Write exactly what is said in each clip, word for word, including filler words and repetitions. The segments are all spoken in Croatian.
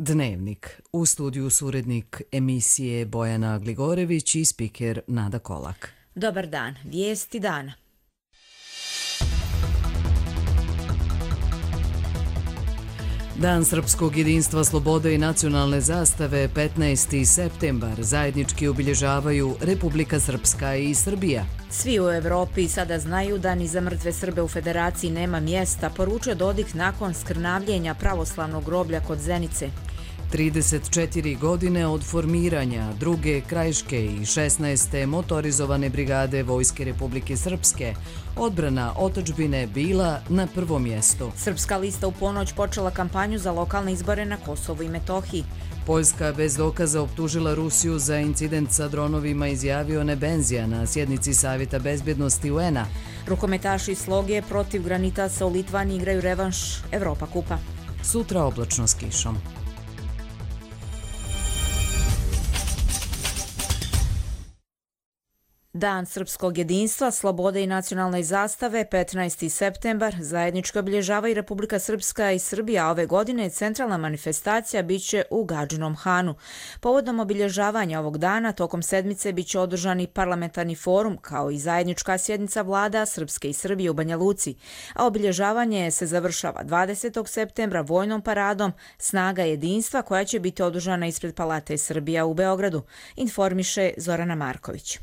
Dnevnik. U studiju su urednik emisije Bojana Gligorević i spiker Nada Kolak. Dobar dan. Vijesti dana. Dan srpskog jedinstva, slobode i nacionalne zastave petnaesti septembar zajednički obilježavaju Republika Srpska i Srbija. Svi u Evropi sada znaju da ni za mrtve Srbe u Federaciji nema mjesta, poručio Dodik nakon skrnavljenja pravoslavnog groblja kod Zenice. trideset četiri godine od formiranja druge krajiške i šesnaeste motorizovane brigade Vojske Republike Srpske, odbrana otadžbine bila na prvom mjestu. Srpska lista u ponoć počela kampanju za lokalne izbore na Kosovu i Metohiji. Poljska bez dokaza optužila Rusiju za incident sa dronovima, izjavio Nebenzija na sjednici Savjeta bezbjednosti U N-a. Rukometaši iz Sloge protiv Granitasa u Litvani igraju revanš Evropa kupa. Sutra oblačno s kišom. Dan srpskog jedinstva, slobode i nacionalne zastave, petnaesti septembar, zajednički obilježava i Republika Srpska i Srbija. Ove godine centralna manifestacija biće u Gadžinom Hanu. Povodom obilježavanja ovog dana, tokom sedmice biće održani parlamentarni forum, kao i zajednička sjednica vlada Srpske i Srbije u Banja Luci. A obilježavanje se završava dvadesetog septembra vojnom paradom Snaga jedinstva, koja će biti održana ispred Palate Srbija u Beogradu, informiše Zorana Marković.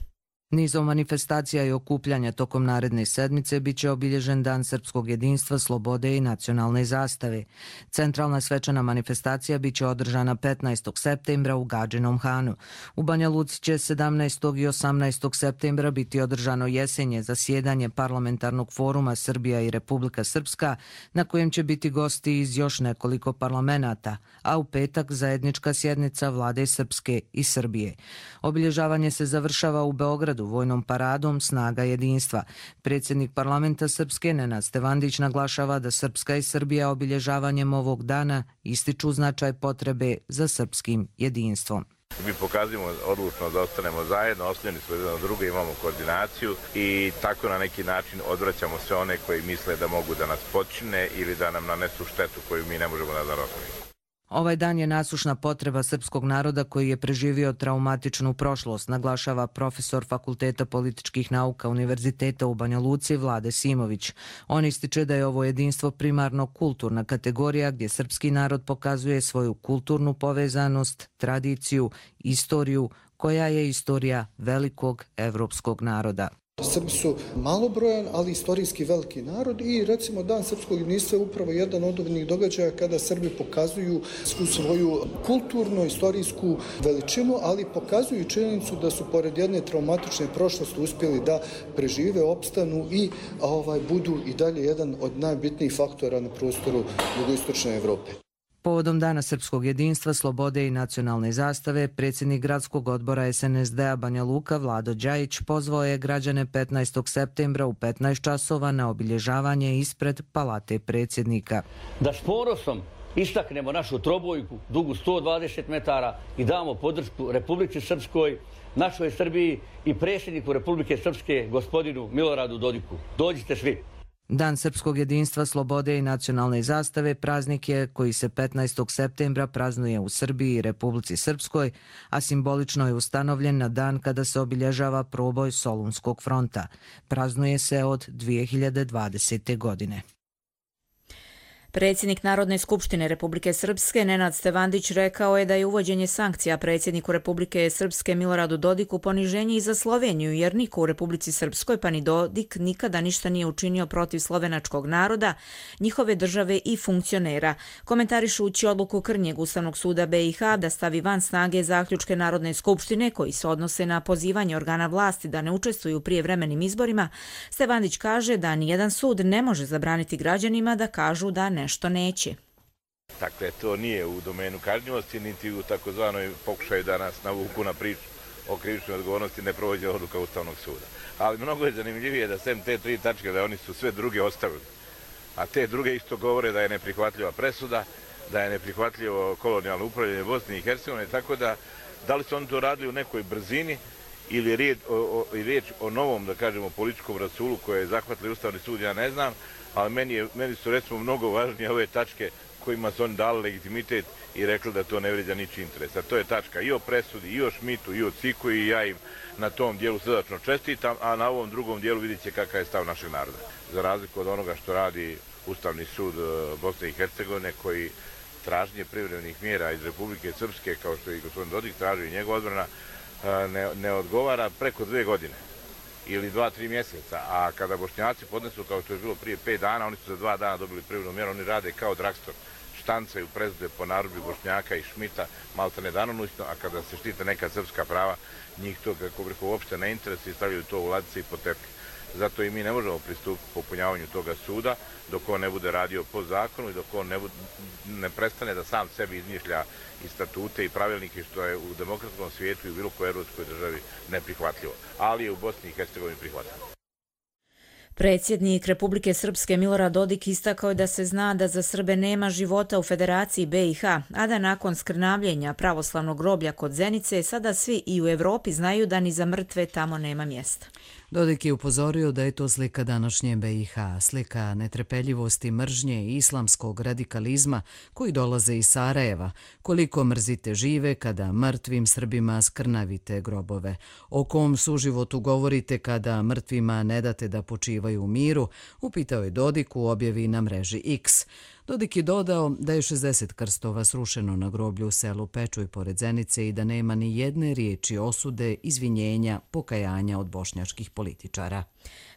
Nizom manifestacija i okupljanja tokom naredne sedmice biće obilježen Dan srpskog jedinstva, slobode i nacionalne zastave. Centralna svečana manifestacija biće održana petnaestog septembra u Gadžinom Hanu. U Banja Luci će sedamnaestog i osamnaestog septembra biti održano jesenje zasjedanje parlamentarnog foruma Srbija i Republika Srpska, na kojem će biti gosti iz još nekoliko parlamenata, a u petak zajednička sjednica vlade Srpske i Srbije. Obilježavanje se završava u Beogradu vojnom paradom Snaga jedinstva. Predsjednik parlamenta Srpske Nenad Stevandić naglašava da Srpska i Srbija obilježavanjem ovog dana ističu značaj potrebe za srpskim jedinstvom. Mi pokazujemo odlučno da ostanemo zajedno, oslonjeni smo jedan na druge, imamo koordinaciju i tako na neki način odvraćamo sve one koji misle da mogu da nas počine ili da nam nanesu štetu koju mi ne možemo da nadoknadimo. Ovaj dan je nasušna potreba srpskog naroda koji je preživio traumatičnu prošlost, naglašava profesor Fakulteta političkih nauka Univerziteta u Banja Luci Vlade Simović. On ističe da je ovo jedinstvo primarno kulturna kategorija gdje srpski narod pokazuje svoju kulturnu povezanost, tradiciju, istoriju koja je istorija velikog evropskog naroda. Srbi su malobrojan, ali istorijski veliki narod i recimo Dan srpskog jedinstva je upravo jedan od ovih događaja kada Srbi pokazuju svu svoju kulturno istorijsku veličinu, ali pokazuju činjenicu da su pored jedne traumatične prošlosti uspjeli da prežive, opstanu i ovaj, budu i dalje jedan od najbitnijih faktora na prostoru jugoistočne Evrope. Povodom Dana srpskog jedinstva, slobode i nacionalne zastave, predsjednik gradskog odbora S N S D-a Banja Luka Vlado Đajić pozvao je građane petnaestog septembra u petnaest časova na obilježavanje ispred Palate predsjednika. Da s ponosom istaknemo našu trobojku dugu sto dvadeset metara i damo podršku Republici Srpskoj, našoj Srbiji i predsjedniku Republike Srpske gospodinu Miloradu Dodiku. Dođite svi. Dan srpskog jedinstva, slobode i nacionalne zastave praznik je koji se petnaestog septembra praznuje u Srbiji i Republici Srpskoj, a simbolično je ustanovljen na dan kada se obilježava proboj Solunskog fronta. Praznuje se od dvije hiljade dvadesete. godine. Predsjednik Narodne skupštine Republike Srpske Nenad Stevandić rekao je da je uvođenje sankcija predsjedniku Republike Srpske Miloradu Dodiku poniženje i za Sloveniju, jer niko u Republici Srpskoj pa ni Dodik nikada ništa nije učinio protiv slovenačkog naroda, njihove države i funkcionera. Komentarišući odluku Krnjeg Ustavnog suda B i H da stavi van snage zaključke Narodne skupštine koji se odnose na pozivanje organa vlasti da ne učestvuju u prijevremenim izborima, Stevandić kaže da nijedan sud ne može zabraniti građanima da kažu da ne nešto neće. Dakle, to nije u domenu kažnjivosti, niti u takozvanoj pokušaju da nas navuku na priču o krivičnoj odgovornosti ne provođe odluka Ustavnog suda. Ali mnogo je zanimljivije da sem te tri tačke da oni su sve druge ostavili. A te druge isto govore da je neprihvatljiva presuda, da je neprihvatljivo kolonijalno upravljanje Bosne i Hercegovine, tako da da li su oni to radili u nekoj brzini ili je riječ o, o, riječ o novom, da kažemo, političkom rasulu koje je zahvatili Ustavni sud, ja ne znam, ali meni, je, meni su recimo mnogo važnije ove tačke kojima su oni dali legitimitet i rekli da to ne vrijeđa ničiji interes. A to je tačka i o presudi, i o Šmitu, i o Ciku i ja im na tom dijelu srdačno čestitam, a na ovom drugom dijelu vidjet će kakav je stav našeg naroda. Za razliku od onoga što radi Ustavni sud Bosne i Hercegovine, koji traženje privremenih mjera iz Republike Srpske, kao što je i gospodin Dodik tražio i njegova odbrana, ne, ne odgovara preko dve godine ili dva, tri mjeseca, a kada Bošnjaci podnesu, kao što je bilo prije pet dana, oni su za dva dana dobili privremenu mjeru, oni rade kao dragstor, štancaju presude po narudžbi Bošnjaka i Šmita, maltene danonoćno, a kada se štite neka srpska prava, njih to, kako bih, uopšte ne interesuje i stavljaju to u ladice i po tepih. Zato i mi ne možemo pristupiti popunjavanju toga suda dok on ne bude radio po zakonu i dok on ne, bude, ne prestane da sam sebi izmišlja i statute i pravilnike, što je u demokratskom svijetu i u bilo kojoj evropskoj državi neprihvatljivo, ali je u Bosni i Hercegovini prihvatljivo. Predsjednik Republike Srpske Milorad Dodik istakao je da se zna da za Srbe nema života u Federaciji B i H, a da nakon skrnavljenja pravoslavnog groblja kod Zenice sada svi i u Evropi znaju da ni za mrtve tamo nema mjesta. Dodik je upozorio da je to slika današnje B i H, slika netrpeljivosti, mržnje i islamskog radikalizma koji dolaze iz Sarajeva. Koliko mrzite žive kada mrtvim Srbima skrnavite grobove? O kom suživotu govorite kada mrtvima ne date da počivaju u miru? Upitao je Dodik u objavi na mreži X. Dodik je dodao da je šezdeset krstova srušeno na groblju u selu Pečuj pored Zenice i da nema ni jedne riječi osude, izvinjenja, pokajanja od bošnjačkih političara.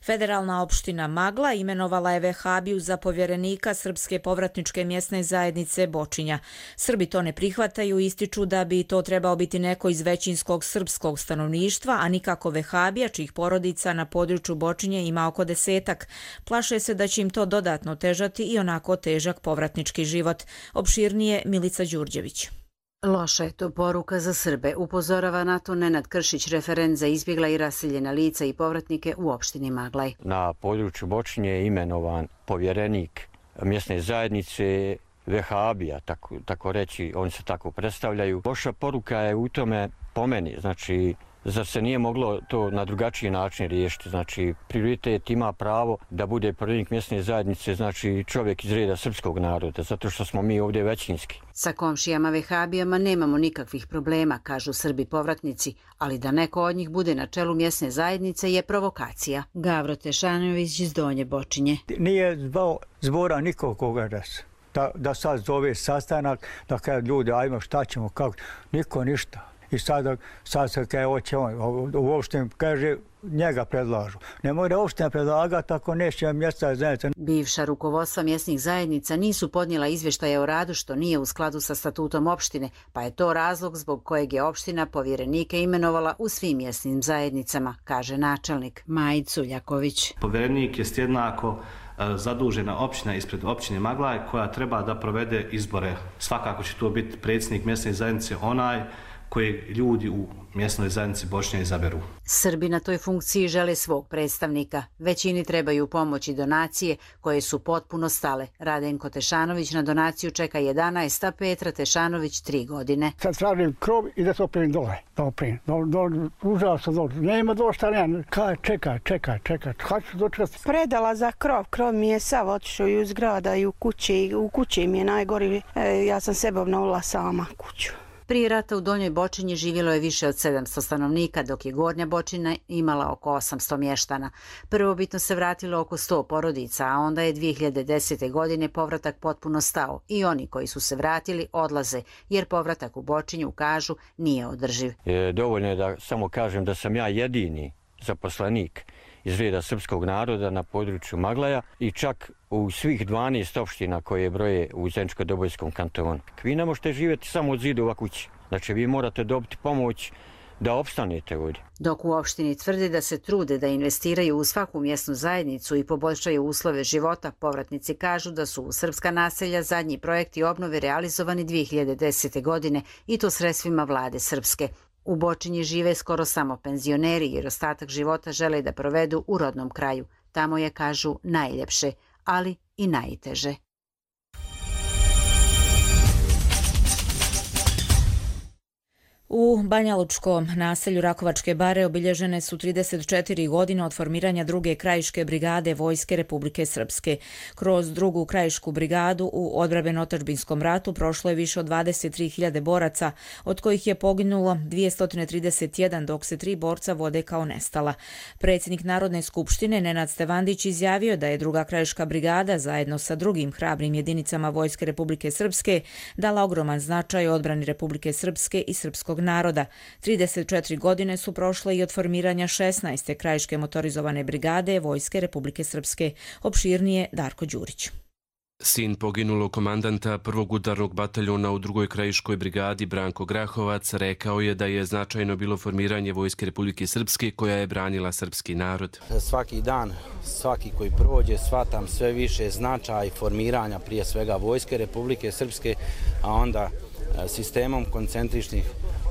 Federalna opština Magla imenovala je Vehabiju za povjerenika Srpske povratničke mjesne zajednice Bočinja. Srbi to ne prihvataju i ističu da bi to trebao biti neko iz većinskog srpskog stanovništva, a nikako Vehabija, čijih porodica na području Bočinje ima oko desetak. Plaše se da će im to dodatno težati i onako težak povratnički život. Opširnije Milica Đurđević. Loša je to poruka za Srbe, upozorava na to Nenad Kršić, referent za izbjegla i raseljena lica i povratnike u opštini Maglaj. Na području Bočinje je imenovan povjerenik mjesne zajednice Vehabija, tako, tako reći, oni se tako predstavljaju. Loša poruka je u tome, po meni, znači, zar se nije moglo to na drugačiji način riješiti? Znači, prioritet ima pravo da bude povjerenik mjesne zajednice, znači čovjek iz reda srpskog naroda, zato što smo mi ovdje većinski. Sa komšijama Vehabijama nemamo nikakvih problema, kažu Srbi povratnici, ali da neko od njih bude na čelu mjesne zajednice je provokacija. Gavro Tešanović iz Donje Bočinje. Nije zvao zbora nikoga da, da sad zove sastanak, da kaže ljudi, ajmo šta ćemo, kako, niko ništa. I sad, sad se kaže, hoće on, uopšte kaže, njega predlažu. Ne može uopšte predlagati ako neće mjesta zajednica. Bivša rukovodstva mjesnih zajednica nisu podnijela izvještaje o radu, što nije u skladu sa statutom opštine, pa je to razlog zbog kojeg je opština povjerenike imenovala u svim mjesnim zajednicama, kaže načelnik Majid Suljaković. Povjerenik je jednako zadužena općina ispred općine Maglaj koja treba da provede izbore. Svakako će to biti predsjednik mjesne zajednice, onaj koje ljudi u mjesnoj zajednici Bošnja izaberu. Srbi na toj funkciji žele svog predstavnika. Većini trebaju pomoć i donacije koje su potpuno stale. Radenko Tešanović na donaciju čeka jedanaest, a Petra Tešanović tri godine. Sad tražim krov i da se oprim dole. Da oprim. Užao sam dole. Nema došta, nema. Kaj, čekaj, čekaj, čekaj. Kad ću dočekati? Predala za krov. Krov mi je sav otišao i u zgrada i u kući. U kući mi je najgori. E, ja sam sebe obnovila sama kuću. Prije rata u Donjoj Bočinji živjelo je više od sedamsto stanovnika, dok je Gornja Bočina imala oko osamsto mještana. Prvobitno se vratilo oko sto porodica, a onda je dvije hiljade desete. godine povratak potpuno stao i oni koji su se vratili odlaze, jer povratak u Bočinju, kažu, nije održiv. E, dovoljno je da samo kažem da sam ja jedini zaposlenik iz reda srpskog naroda na području Maglaja i čak u svih dvanaest opština koje broje u Zeničko-Dobojskom kantonu. Vi ne možete živjeti samo od zidova kući. Znači, vi morate dobiti pomoć da opstanete ovdje. Dok u opštini tvrde da se trude da investiraju u svaku mjesnu zajednicu i poboljšaju uslove života, povratnici kažu da su u srpska naselja zadnji projekti obnove realizovani dvije hiljade desete. godine i to sredstvima vlade srpske. U Bočinji žive skoro samo penzioneri jer ostatak života žele da provedu u rodnom kraju. Tamo je, kažu, najljepše, ali i najteže. U banjalučkom naselju Rakovačke bare obilježene su trideset četiri godine od formiranja druge krajiške brigade Vojske Republike Srpske. Kroz drugu krajišku brigadu u odbrambeno-otadžbinskom ratu prošlo je više od dvadeset tri hiljade boraca, od kojih je poginulo dvjesto trideset jedan, dok se tri borca vode kao nestala. Predsjednik Narodne skupštine Nenad Stevandić izjavio da je druga krajiška brigada zajedno sa drugim hrabrim jedinicama Vojske Republike Srpske dala ogroman značaj odbrani Republike Srpske i srpskog naroda. trideset četiri godine su prošle i od formiranja šesnaeste krajiške motorizovane brigade Vojske Republike Srpske. Opširnije Darko Đurić. Sin poginulog komandanta prvog udarnog bataljona u drugoj krajiškoj brigadi Branko Grahovac rekao je da je značajno bilo formiranje Vojske Republike Srpske koja je branila srpski narod. Svaki dan, svaki koji prođe, shvatam sve više značaj formiranja prije svega Vojske Republike Srpske, a onda sistemom koncentričnih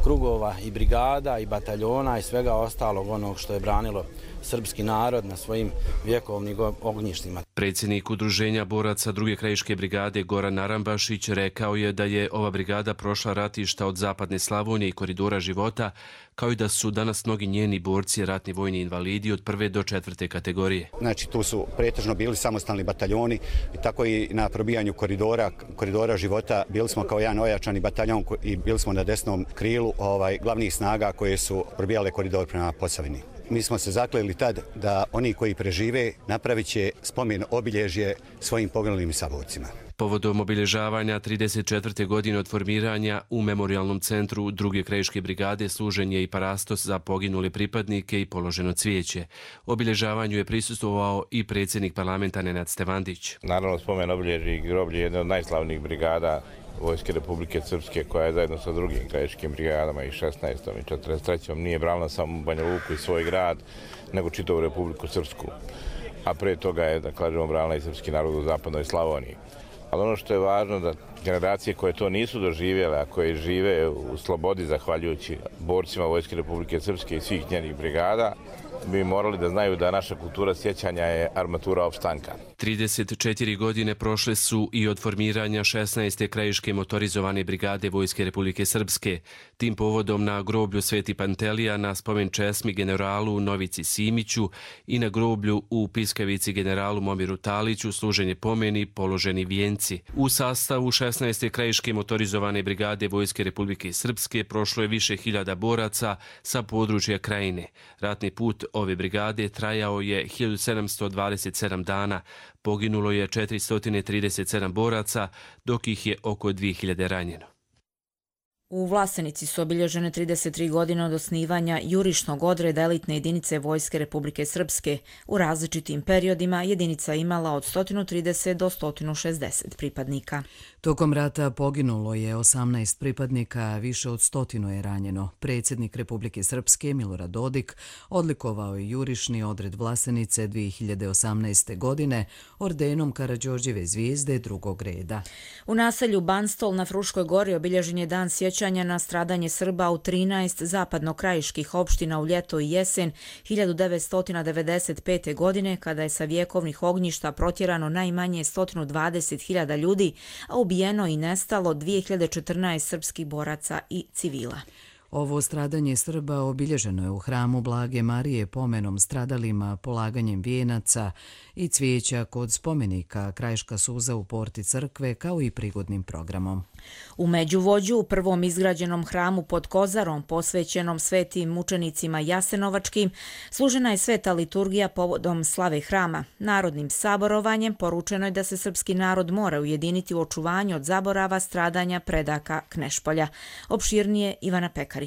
krugova i brigada i bataljona i svega ostalog onog što je branilo srpski narod na svojim vjekovnim ognjištima. Predsjednik Udruženja boraca druge krajiške brigade Goran Narambašić rekao je da je ova brigada prošla ratišta od zapadne Slavonije i koridora života, kao i da su danas mnogi njeni borci ratni vojni invalidi od prve do četvrte kategorije. Znači tu su pretežno bili samostalni bataljoni i tako i na probijanju koridora, koridora života bili smo kao jedan ojačani bataljon i bili smo na desnom krilu ovaj, glavnih snaga koje su probijale koridor prema Posavini. Mi smo se zakleli tad da oni koji prežive napravit će spomen obilježje svojim poginulim saborcima. Povodom obilježavanja trideset četvrte godine od formiranja u Memorijalnom centru druge krajiške brigade služen je i parastos za poginule pripadnike i položeno cvijeće. Obilježavanju je prisustvovao i predsjednik parlamenta Nenad Stevandić. Naravno, spomen obilježi i groblje je jedna od najslavnijih brigada Vojske Republike Srpske, koja je zajedno sa drugim krajiškim brigadama i šesnaestom i četrdeset trećom nije branila samo Banja Luku i svoj grad, nego čitavu Republiku Srpsku. A pre toga je, da kažemo, branila i srpski narod u zapadnoj Slavoniji. Ali ono što je važno da generacije koje to nisu doživjele, a koje žive u slobodi zahvaljujući borcima Vojske Republike Srpske i svih njenih brigada, bi morali da znaju da naša kultura sjećanja je armatura opstanka. trideset četiri godine prošle su i od formiranja šesnaeste krajiške motorizovane brigade Vojske Republike Srpske. Tim povodom na groblju Sveti Pantelija na spomen česmi generalu Novici Simiću i na groblju u Piskavici generalu Momiru Taliću služenje pomeni položeni vijenci. U sastavu šesnaeste krajiške motorizovane brigade Vojske Republike Srpske prošlo je više hiljada boraca sa područja krajine. Ratni put ove brigade trajao je hiljadu sedamsto dvadeset sedam dana, poginulo je četiristo trideset sedam boraca, dok ih je oko dvije hiljade ranjeno. U Vlasenici su obilježene trideset tri godine od osnivanja jurišnog odreda elitne jedinice Vojske Republike Srpske. U različitim periodima jedinica imala od sto trideset do sto šezdeset pripadnika. Tokom rata poginulo je osamnaest pripadnika, a više od stotinu je ranjeno. Predsjednik Republike Srpske Milorad Dodik odlikovao je jurišni odred Vlasenice dvije hiljade osamnaeste. godine ordenom Karađorđeve zvijezde drugog reda. U naselju Banstol na Fruškoj gori obilježen je dan sjećanja na stradanje Srba u trinaest zapadno-krajiških opština u ljeto i jesen hiljadu devetsto devedeset pete. godine, kada je sa vjekovnih ognjišta protjerano najmanje sto dvadeset hiljada ljudi, a ubijeno i nestalo dvije hiljade četrnaest srpskih boraca i civila. Ovo stradanje Srba obilježeno je u hramu Blage Marije pomenom stradalima, polaganjem vijenaca i cvijeća kod spomenika Krajiška suza u porti crkve, kao i prigodnim programom. U Međuvođu, u prvom izgrađenom hramu pod Kozarom, posvećenom svetim mučenicima Jasenovačkim, služena je sveta liturgija povodom slave hrama. Narodnim saborovanjem poručeno je da se srpski narod mora ujediniti u očuvanju od zaborava stradanja predaka Knešpolja. Opširnije Ivana Pekarić.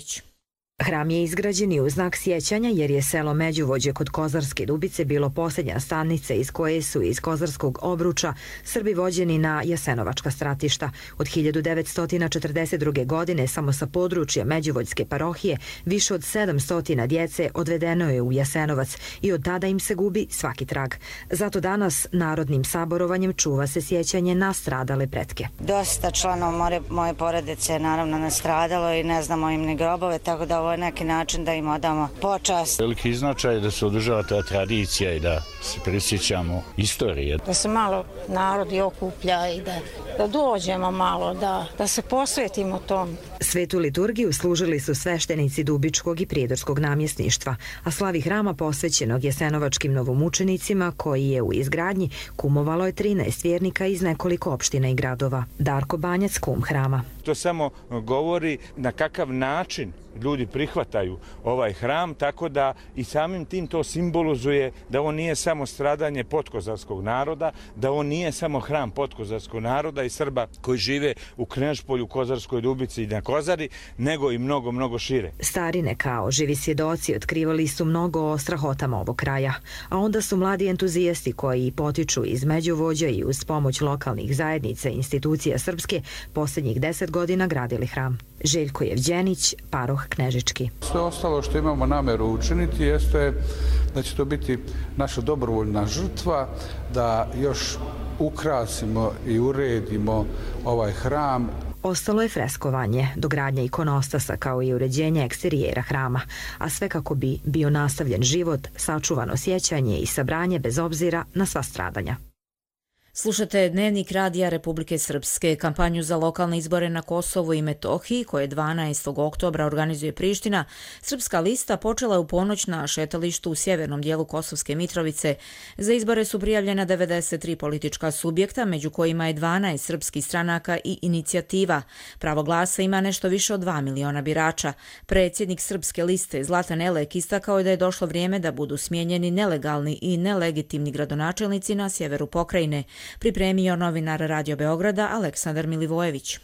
Hram je izgrađen i u znak sjećanja jer je selo Međuvođe kod Kozarske Dubice bilo posljednja stanica iz koje su iz Kozarskog obruča Srbi vođeni na jasenovačka stratišta. Od hiljadu devetsto četrdeset druge. godine samo sa područja Međuvođske parohije više od sedamsto djece odvedeno je u Jasenovac i od tada im se gubi svaki trag. Zato danas narodnim saborovanjem čuva se sjećanje na stradale pretke. Dosta članova moje porodice je naravno nastradalo i ne znamo im ni grobove, tako da ovo je neki način da im odamo počast. Veliki značaj je da se održava ta tradicija i da se prisjećamo istorije. Da se malo narod okuplja i da, da dođemo malo, da, da se posvetimo tom. Svetu liturgiju služili su sveštenici Dubičkog i Prijedorskog namjesništva, a slavi hrama posvećenog jasenovačkim novomučenicima koji je u izgradnji kumovalo je trinaest vjernika iz nekoliko opština i gradova. Darko Banjac, kum hrama. To samo govori na kakav način ljudi prihvataju ovaj hram, tako da i samim tim to simbolizuje da on nije samo stradanje podkozarskog naroda, da on nije samo hram podkozarskog naroda i Srba koji žive u Knežpolju, Kozarskoj Dubici i na Kozari, nego i mnogo, mnogo šire. Starine kao živi svjedoci otkrivali su mnogo o strahotama ovog kraja, a onda su mladi entuzijasti koji potiču iz Međuvođa i uz pomoć lokalnih zajednica i institucija srpske posljednjih deset godina gradili hram. Željko Jevđenić, paroh Knežički. Sve ostalo što imamo nameru učiniti jeste da će to biti naša dobrovoljna žrtva, da još ukrasimo i uredimo ovaj hram. Ostalo je freskovanje, dogradnja ikonostasa kao i uređenje eksterijera hrama, a sve kako bi bio nastavljen život, sačuvano sjećanje i sabranje bez obzira na sva stradanja. Slušate Dnevnik radija Republike Srpske. Kampanju za lokalne izbore na Kosovu i Metohiji, koje dvanaestog oktobra organizuje Priština, Srpska lista počela je u ponoć na šetalištu u sjevernom dijelu Kosovske Mitrovice. Za izbore su prijavljena devedeset tri politička subjekta, među kojima je dvanaest srpskih stranaka i inicijativa. Pravo glasa ima nešto više od dva miliona birača. Predsjednik Srpske liste Zlatan Elek istakao je da je došlo vrijeme da budu smijenjeni nelegalni i nelegitimni gradonačelnici na sjeveru pokrajine. Pripremio novinar Radio Beograda Aleksandar Milivojević.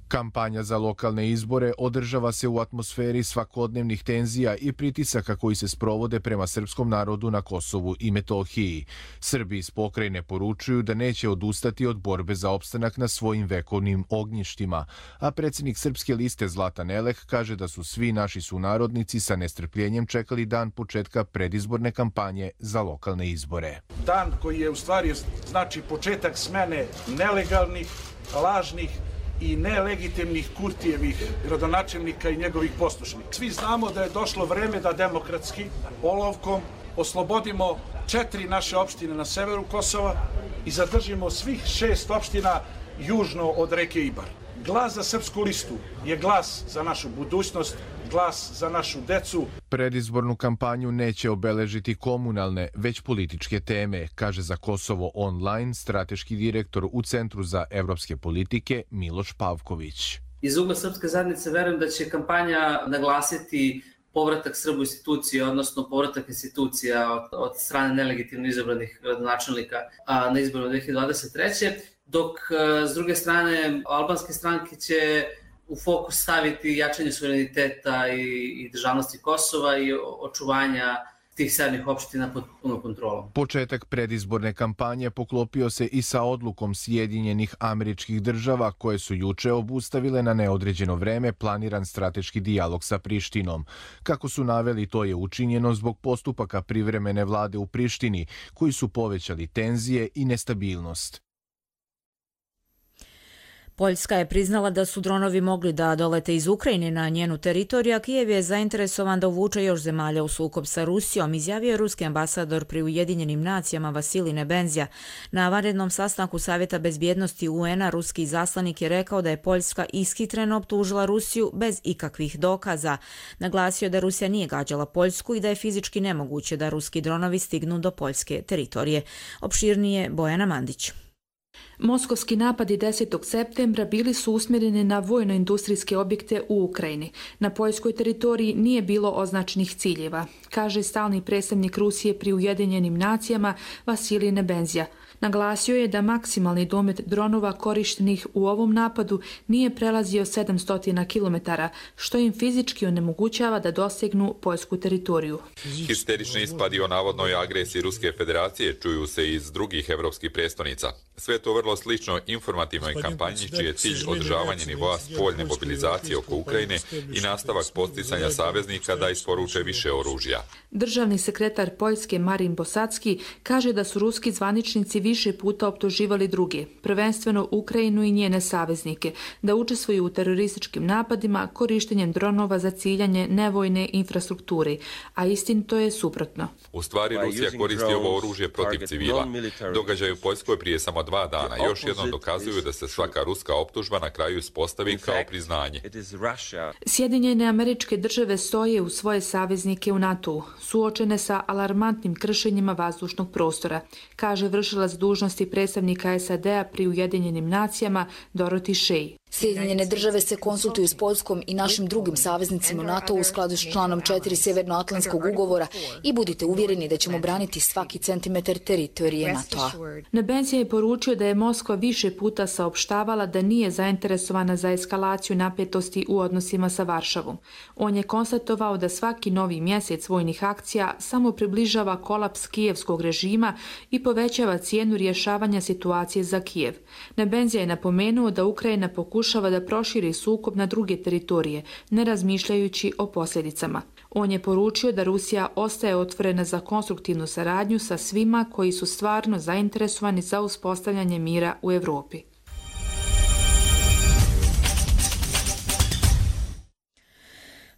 Kampanja za lokalne izbore održava se u atmosferi svakodnevnih tenzija i pritisaka koji se sprovode prema srpskom narodu na Kosovu i Metohiji. Srbi iz pokrajine poručuju da neće odustati od borbe za opstanak na svojim vekovnim ognjištima, a predsjednik Srpske liste Zlatan Elek kaže da su svi naši sunarodnici sa nestrpljenjem čekali dan početka predizborne kampanje za lokalne izbore. Dan koji je u stvari znači početak smene nelegalnih, lažnih i nelegitimnih Kurtijevih gradonačelnika i njegovih poslušnika. Svi znamo da je došlo vreme da demokratski olovkom oslobodimo četiri naše opštine na severu Kosova i zadržimo svih šest opština južno od reke Ibar. Glas za Srpsku listu je glas za našu budućnost, glas za našu decu. Predizbornu kampanju neće obeležiti komunalne, već političke teme, kaže za Kosovo online strateški direktor u Centru za evropske politike Miloš Pavković. Iz ugla Srpske zajednice verujem da će kampanja naglasiti povratak Srbu institucije, odnosno povratak institucija od, od strane nelegitimno izabranih gradonačelnika na izborima dve hiljade dvadeset treće. Dok s druge strane albanske stranke će u fokus staviti jačanje suvereniteta i, i državnosti Kosova i očuvanja tih severnih opština pod punom kontrolom. Početak predizborne kampanje poklopio se i sa odlukom Sjedinjenih Američkih Država koje su juče obustavile na neodređeno vreme planiran strateški dijalog sa Prištinom. Kako su naveli, to je učinjeno zbog postupaka privremene vlade u Prištini koji su povećali tenzije i nestabilnost. Poljska je priznala da su dronovi mogli da dolete iz Ukrajine na njenu teritoriju, a Kijev je zainteresovan da uvuče još zemalja u sukob sa Rusijom, izjavio je ruski ambasador pri Ujedinjenim nacijama Vasilij Nebenzija. Na vanrednom sastanku Savjeta bezbjednosti U N-a ruski izaslanik je rekao da je Poljska ishitreno optužila Rusiju bez ikakvih dokaza. Naglasio da Rusija nije gađala Poljsku i da je fizički nemoguće da ruski dronovi stignu do poljske teritorije. Opširnije Bojana Mandić. Moskovski napadi desetog septembra bili su usmjereni na vojno-industrijske objekte u Ukrajini. Na poljskoj teritoriji nije bilo označenih ciljeva, kaže stalni predstavnik Rusije pri Ujedinjenim nacijama Vasilij Nebenzija. Naglasio je da maksimalni domet dronova korištenih u ovom napadu nije prelazio sedamsto kilometara, što im fizički onemogućava da dosegnu poljsku teritoriju. Histerični ispadi o navodnoj agresiji Ruske federacije čuju se iz drugih evropskih prestonica. Sve to vrlo slično informativnoj kampanji čiji je cilj održavanje nivoa spoljne mobilizacije oko Ukrajine i nastavak posticanja saveznika da isporuče više oružja. Državni sekretar Poljske Marin Bosacki kaže da su ruski zvaničnici više puta optuživali druge, prvenstveno Ukrajinu i njene saveznike, da učestvuju u terorističkim napadima korištenjem dronova za ciljanje nevojne infrastrukture, a istinito je suprotno. U stvari Rusija koristi ovo oružje protiv civila. Događaj u Poljskoj prije samo dva dana još jednom dokazuju da se svaka ruska optužba na kraju ispostavi kao priznanje. Sjedinjene Američke Države stoje u svoje saveznike u NATO-u, suočene sa alarmantnim kršenjima vazdušnog prostora, kaže vršilac dužnosti predstavnika S A D-a pri Ujedinjenim nacijama Dorothy Shea. Sjedinjene države se konsultuju s Poljskom i našim drugim saveznicima u NATO u skladu s članom četiri Sjevernoatlantskog ugovora i budite uvjereni da ćemo braniti svaki centimetar teritorije NATO-a. Nebenzija je poručio da je Moskva više puta saopštavala da nije zainteresovana za eskalaciju napetosti u odnosima sa Varšavom. On je konstatovao da svaki novi mjesec vojnih akcija samo približava kolaps kijevskog režima i povećava cijenu rješavanja situacije za Kijev. Nebenzija je napomenuo da Ukrajina pokušava pokušava da proširi sukob na druge teritorije, ne razmišljajući o posljedicama. On je poručio da Rusija ostaje otvorena za konstruktivnu saradnju sa svima koji su stvarno zainteresovani za uspostavljanje mira u Evropi.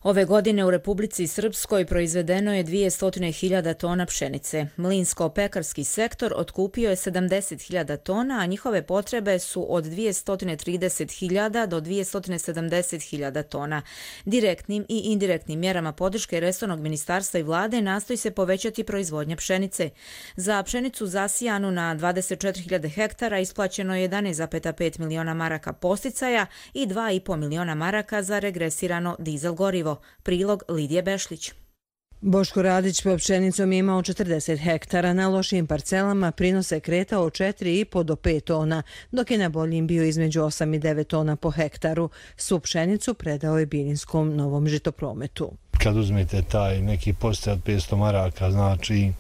Ove godine u Republici Srpskoj proizvedeno je dvjesto hiljada tona pšenice. Mlinsko-pekarski sektor otkupio je sedamdeset hiljada tona, a njihove potrebe su od dvjesto trideset hiljada do dvjesto sedamdeset hiljada tona. Direktnim i indirektnim mjerama podrške resornog ministarstva i vlade nastoji se povećati proizvodnja pšenice. Za pšenicu zasijanu na dvadeset četiri hiljade hektara isplaćeno je jedanaest zarez pet miliona maraka posticaja i dva i po miliona maraka za regresirano dizel gorivo. Prilog Lidije Bešlić. Boško Radić pod pšenicom je imao četrdeset hektara. Na lošijim parcelama prinos se kretao od četiri i po do pet tona, dok je na boljim bio između osam i devet tona po hektaru. Svu pšenicu predao je Bilinskom Novom Žitoprometu. Kad uzmete taj neki postaj od petsto maraka, znači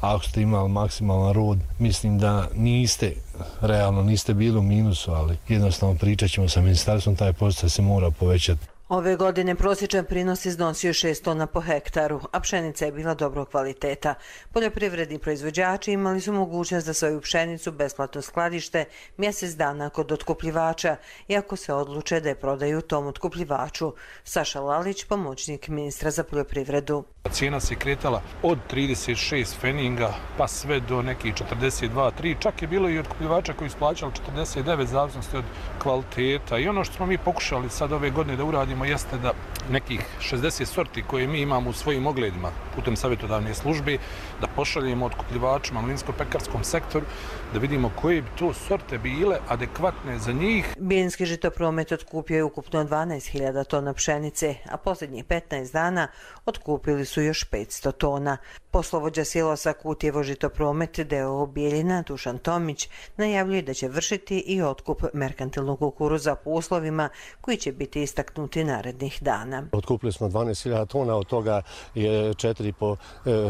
ako ste imali maksimalan rod, mislim da niste, realno niste bili u minusu, ali jednostavno pričat ćemo sa ministarstvom, taj postaj se mora povećati. Ove godine prosječan prinos iznosio šest tona po hektaru, a pšenica je bila dobrog kvaliteta. Poljoprivredni proizvođači imali su mogućnost da svoju pšenicu besplatno skladište mjesec dana kod otkupljivača, iako se odluče da je prodaju tom otkupljivaču. Saša Lalić, pomoćnik ministra za poljoprivredu. Cijena se kretala od trideset šest feninga pa sve do nekih četrdeset dva tri, čak je bilo i otkupljivača koji su plaćali četrdeset devet zavisnosti od kvaliteta. I ono što smo mi pokušali sad ove godine da uradimo jeste da nekih šezdeset sorti koje mi imamo u svojim ogledima putem savjetodavne službe, da pošaljemo otkupljivačima u mlinsko-pekarskom sektoru, da vidimo koje bi to sorte bile adekvatne za njih. Bilinski Žitopromet otkupio je ukupno dvanaest hiljada tona pšenice, a posljednjih petnaest dana otkupili su još petsto tona. Poslovođa silosa Kutjevo Žitopromet d o o Bijeljina Dušan Tomić najavljuje da će vršiti i otkup merkantilnog kukuruza po uslovima koji će biti istaknuti narednih dana. Otkupili smo dvanaest hiljada tona, od toga je četiri i po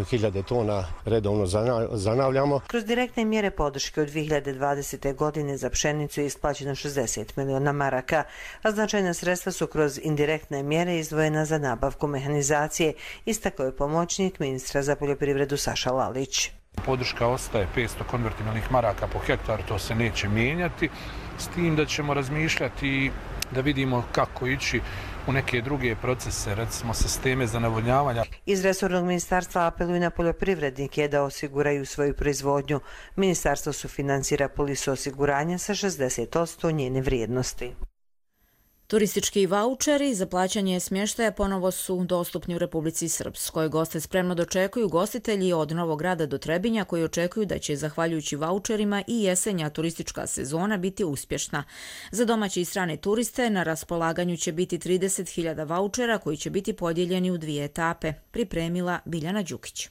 hiljade tona redovno zanavljamo. Kroz direktne mjere podrške od dvije hiljade dvadesete. godine za pšenicu je isplaćeno šezdeset miliona maraka, a značajna sredstva su kroz indirektne mjere izdvojena za nabavku mehanizacije, istakao je pomoćnik ministra za poljoprivredu Saša Lalić. Podrška ostaje petsto konvertibilnih maraka po hektaru, to se neće mijenjati, s tim da ćemo razmišljati da vidimo kako ići u neke druge procese, recimo sisteme za navodnjavanja. Iz resornog ministarstva apeluju na poljoprivrednike da osiguraju svoju proizvodnju. Ministarstvo sufinansira polisu osiguranja sa šezdeset posto njene vrijednosti. Turistički vaučeri za plaćanje smještaja ponovo su dostupni u Republici Srpskoj. Goste spremno dočekuju gostitelji od Novog Grada do Trebinja koji očekuju da će, zahvaljujući vaučerima, i jesenja turistička sezona biti uspješna. Za domaće i strane turiste na raspolaganju će biti trideset hiljada vaučera koji će biti podijeljeni u dvije etape, pripremila Biljana Đukić.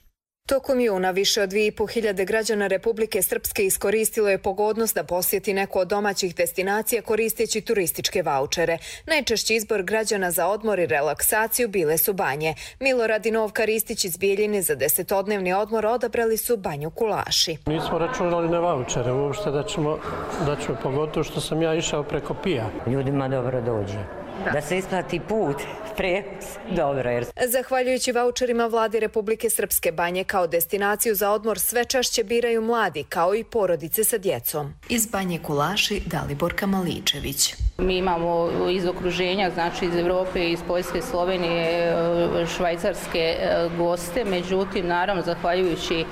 Tokom juna više od dvije i po hiljade građana Republike Srpske iskoristilo je pogodnost da posjeti neku od domaćih destinacija koristeći turističke vaučere. Najčešći izbor građana za odmor i relaksaciju bile su banje. Milorad i Novka Ristić iz Bijeljine za desetodnevni odmor odabrali su banju Kulaši. Nismo računali na vaučere uopšte da ćemo, da ćemo, pogotovo što sam ja išao preko Pija. Ljudima dobro dođe. da, da se isplati put, prevoz, dobro. Jer... Zahvaljujući vaučerima vladi Republike Srpske, Banje kao destinaciju za odmor sve češće biraju mladi, kao i porodice sa djecom. Iz Banje Kulaši, Dalibor Kamaličević. Mi imamo iz okruženja, znači iz Evrope, iz Poljske, Slovenije, Švajcarske goste, međutim, naravno, zahvaljujući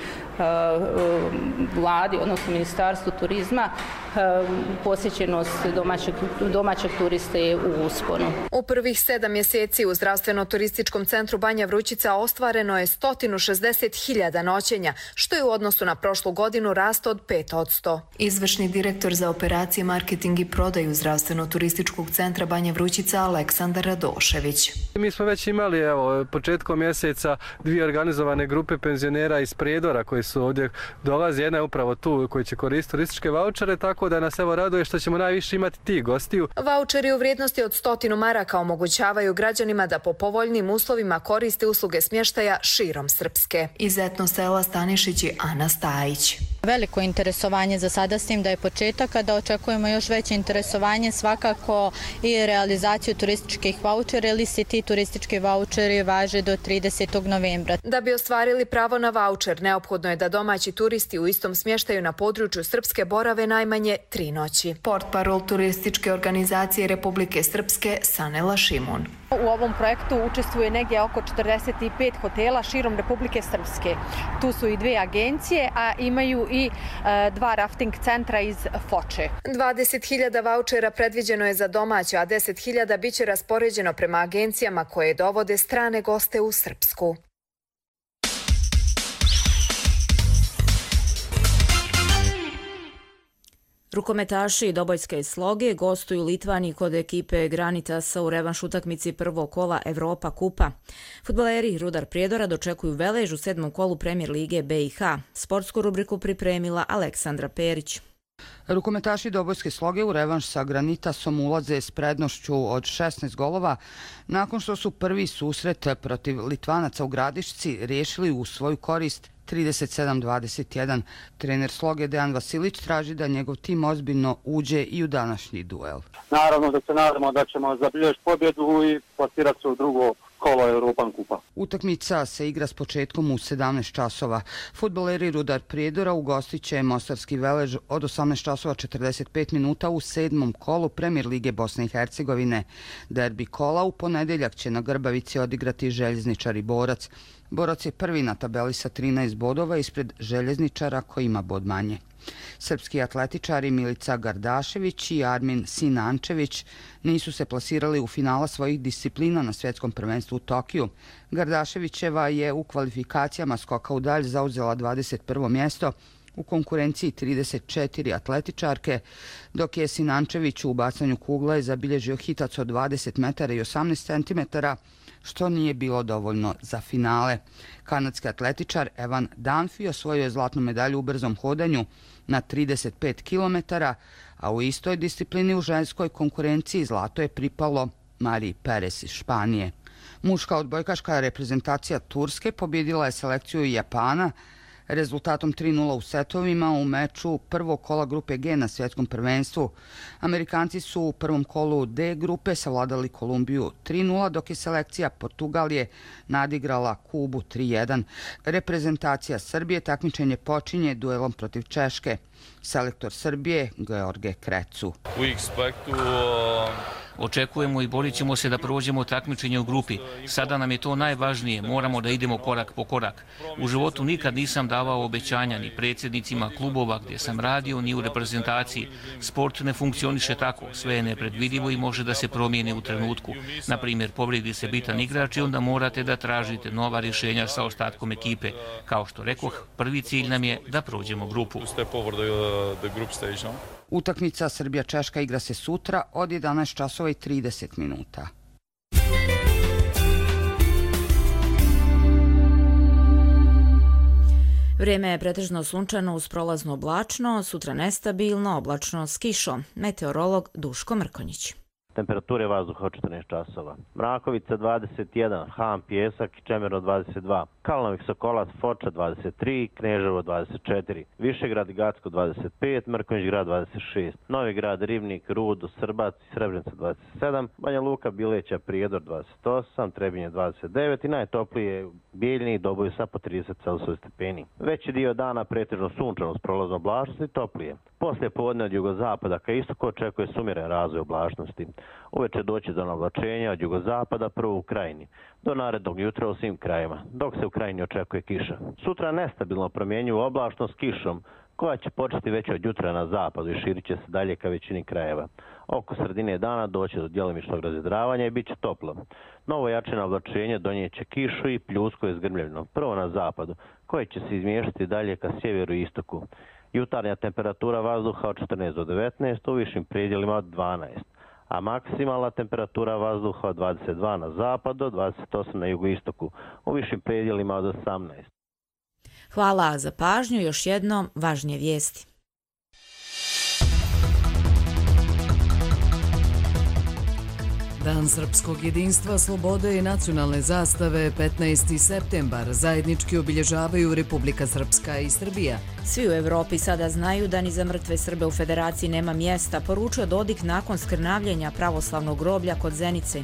vladi, odnosno Ministarstvu turizma, posjećenost domaćeg, domaćeg turiste je u usponu. U prvih sedam mjeseci u zdravstveno-turističkom centru Banja Vrućica ostvareno je sto šezdeset hiljada noćenja, što je u odnosu na prošlu godinu rast od pet posto. Izvršni direktor za operacije, marketing i prodaju zdravstveno-turističkog centra Banja Vrućica Aleksandar Radošević. Mi smo već imali evo, početkom mjeseca dvije organizovane grupe penzionera iz Prijedora koji su ovdje dolazi. Jedna je upravo tu koji će koristiti turističke vaučere, tako da nas evo raduje što ćemo najviše imati tih gostiju. Vaučeri u vrijednosti od stotinu maraka omogućavaju građanima da po povoljnim uslovima koriste usluge smještaja širom Srpske. Iz etno sela Stanišić i Ana Stajić. Veliko interesovanje za sada, s tim da je početak, a da očekujemo još veće interesovanje svakako i realizaciju turističkih vaučera, ili se ti turistički vaučeri važe do tridesetog novembra. Da bi ostvarili pravo na vaučer, neophodno je da domaći turisti u istom smještaju na području Srpske borave najmanje tri noći. Portparol turističke organizacije Republike Srpske Sanela Šimun. U ovom projektu učestvuje negdje oko četrdeset pet hotela širom Republike Srpske. Tu su i dvije agencije, a imaju i e, dva rafting centra iz Foče. dvadeset hiljada vaučera predviđeno je za domaće, a deset hiljada biće raspoređeno prema agencijama koje dovode strane goste u Srpsku. Rukometaši Dobojske Sloge gostuju Litvaniji kod ekipe Granitasa u revanš utakmici prvog kola Evropa kupa. Fudbaleri Rudar Prijedora dočekuju Velež u sedmom kolu Premijer lige B i H. Sportsku rubriku pripremila Aleksandra Perić. Rukometaši Dobojske Sloge u revanš sa Granitasom ulaze s prednošću od šesnaest golova nakon što su prvi susret protiv Litvanaca u Gradišci riješili u svoju korist trideset sedam dvadeset jedan. Trener Sloge Dejan Vasilić traži da njegov tim ozbiljno uđe i u današnji duel. Naravno da se nadamo da ćemo zabilježiti pobjedu i plasirati se u drugo kolo Europan kupa. Utakmica se igra s početkom u sedamnaest časova. Fudbaleri Rudar Prijedora ugostit će Mostarski Velež od osamnaest časova četrdeset pet minuta u sedmom kolu Premijer lige Bosne i Hercegovine. Derbi kola u ponedjeljak će na Grbavici odigrati Željezničar i Borac. Borac je prvi na tabeli sa trinaest bodova ispred Željezničara koji ima bod manje. Srpski atletičari Milica Gardašević i Armin Sinančević nisu se plasirali u finala svojih disciplina na svjetskom prvenstvu u Tokiju. Gardaševićeva je u kvalifikacijama skoka u dalj zauzela dvadeset prvo mjesto u konkurenciji trideset četiri atletičarke, dok je Sinančević u bacanju kugle zabilježio hitac od dvadeset metara i osamnaest centimetara, što nije bilo dovoljno za finale. Kanadski atletičar Evan Dunphy osvojio je zlatnu medalju u brzom hodanju na trideset pet kilometara, a u istoj disciplini u ženskoj konkurenciji zlato je pripalo Mariji Perez iz Španije. Muška odbojkaška reprezentacija Turske pobjedila je selekciju Japana rezultatom tri nula u setovima u meču prvog kola grupe G na svjetskom prvenstvu. Amerikanci su u prvom kolu D grupe savladali Kolumbiju tri nula, dok je selekcija Portugalije nadigrala Kubu tri jedan. Reprezentacija Srbije takmičenje počinje duelom protiv Češke. Selektor Srbije George Krecu. Očekujemo i borit ćemo se da prođemo takmičenje u grupi. Sada nam je to najvažnije, moramo da idemo korak po korak. U životu nikad nisam davao obećanja ni predsjednicima klubova gdje sam radio, ni u reprezentaciji. Sport ne funkcioniše tako, sve je nepredvidivo i može da se promijeni u trenutku. Na primjer, povredi se bitan igrač i onda morate da tražite nova rješenja sa ostatkom ekipe. Kao što rekoh, prvi cilj nam je da prođemo grupu. Utakmica Srbija-Češka igra se sutra od jedanaest časova i trideset minuta. Vrijeme je pretežno sunčano uz prolazno oblačno, sutra nestabilno, oblačno s kišom. Meteorolog Duško Mrkonjić. Temperature vazduha od četrnaest časova. Mrakovica dvadeset jedan, Ham, Pjesak i Čemero dvadeset dva. Kalnovik, Sokolac, Foča dvadeset tri, Kneževo dvadeset četiri, Višegrad i Gacko dvadeset pet, Mrkonjić Grad dvadeset šest, Novi Grad, Rivnik, Rudo, Srbac i Srebrenica dvadeset sedam, Banja Luka, Bileća, Prijedor dvadeset osam, Trebinje dvadeset devet i najtoplije Bijeljni i Doboj sa po trideset Celsius stepeni. Veći dio dana pretežno sunčano s prolazom oblačnosti i toplije. Poslije podne od jugozapada ka istoku očekuje sumiren razvoj oblačnosti. Uveče doći do navlačenja od jugozapada prvo u Krajini, do narednog jutra u svim krajima, dok se u Krajini očekuje kiša. Sutra nestabilno promjenjivu oblačnost kišom, koja će početi već od jutra na zapadu i širit će se dalje ka većini krajeva. Oko sredine dana doći do djelomičnog razvedravanja i bit će toplo. Novo jače navlačenje donijeće kišu i pljusko je zgrmljeno, prvo na zapadu, koje će se izmještati dalje ka sjeveru i istoku. Jutarnja temperatura vazduha od četrnaest do devetnaest, u višim predjelima od dvanaest, a maksimalna temperatura vazduha od dvadeset dva na zapadu, dvadeset osam na jugoistoku, u višim predjelima od osamnaest. Hvala za pažnju, još jednom važnije vijesti. Dan srpskog jedinstva, slobode i nacionalne zastave petnaesti septembar zajednički obilježavaju Republika Srpska i Srbija. Svi u Evropi sada znaju da ni za mrtve Srbe u Federaciji nema mjesta, poručio Dodik nakon skrnavljenja pravoslavnog groblja kod Zenice.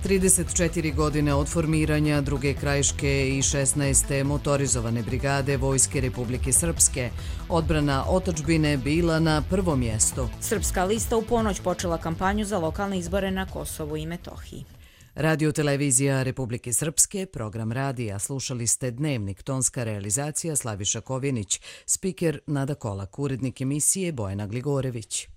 trideset četiri godine od formiranja druge krajiške i šesnaeste motorizovane brigade Vojske Republike Srpske. Odbrana otadžbine bila na prvom mjestu. Srpska lista u ponoć počela kampanju za lokalne izbore na Kosovu i Metohiji. Radio televizija Republike Srpske, program radija. Slušali ste Dnevnik, tonska realizacija Slaviša Kovjenić, spiker Nada Kolak, urednik emisije Bojana Gligorević.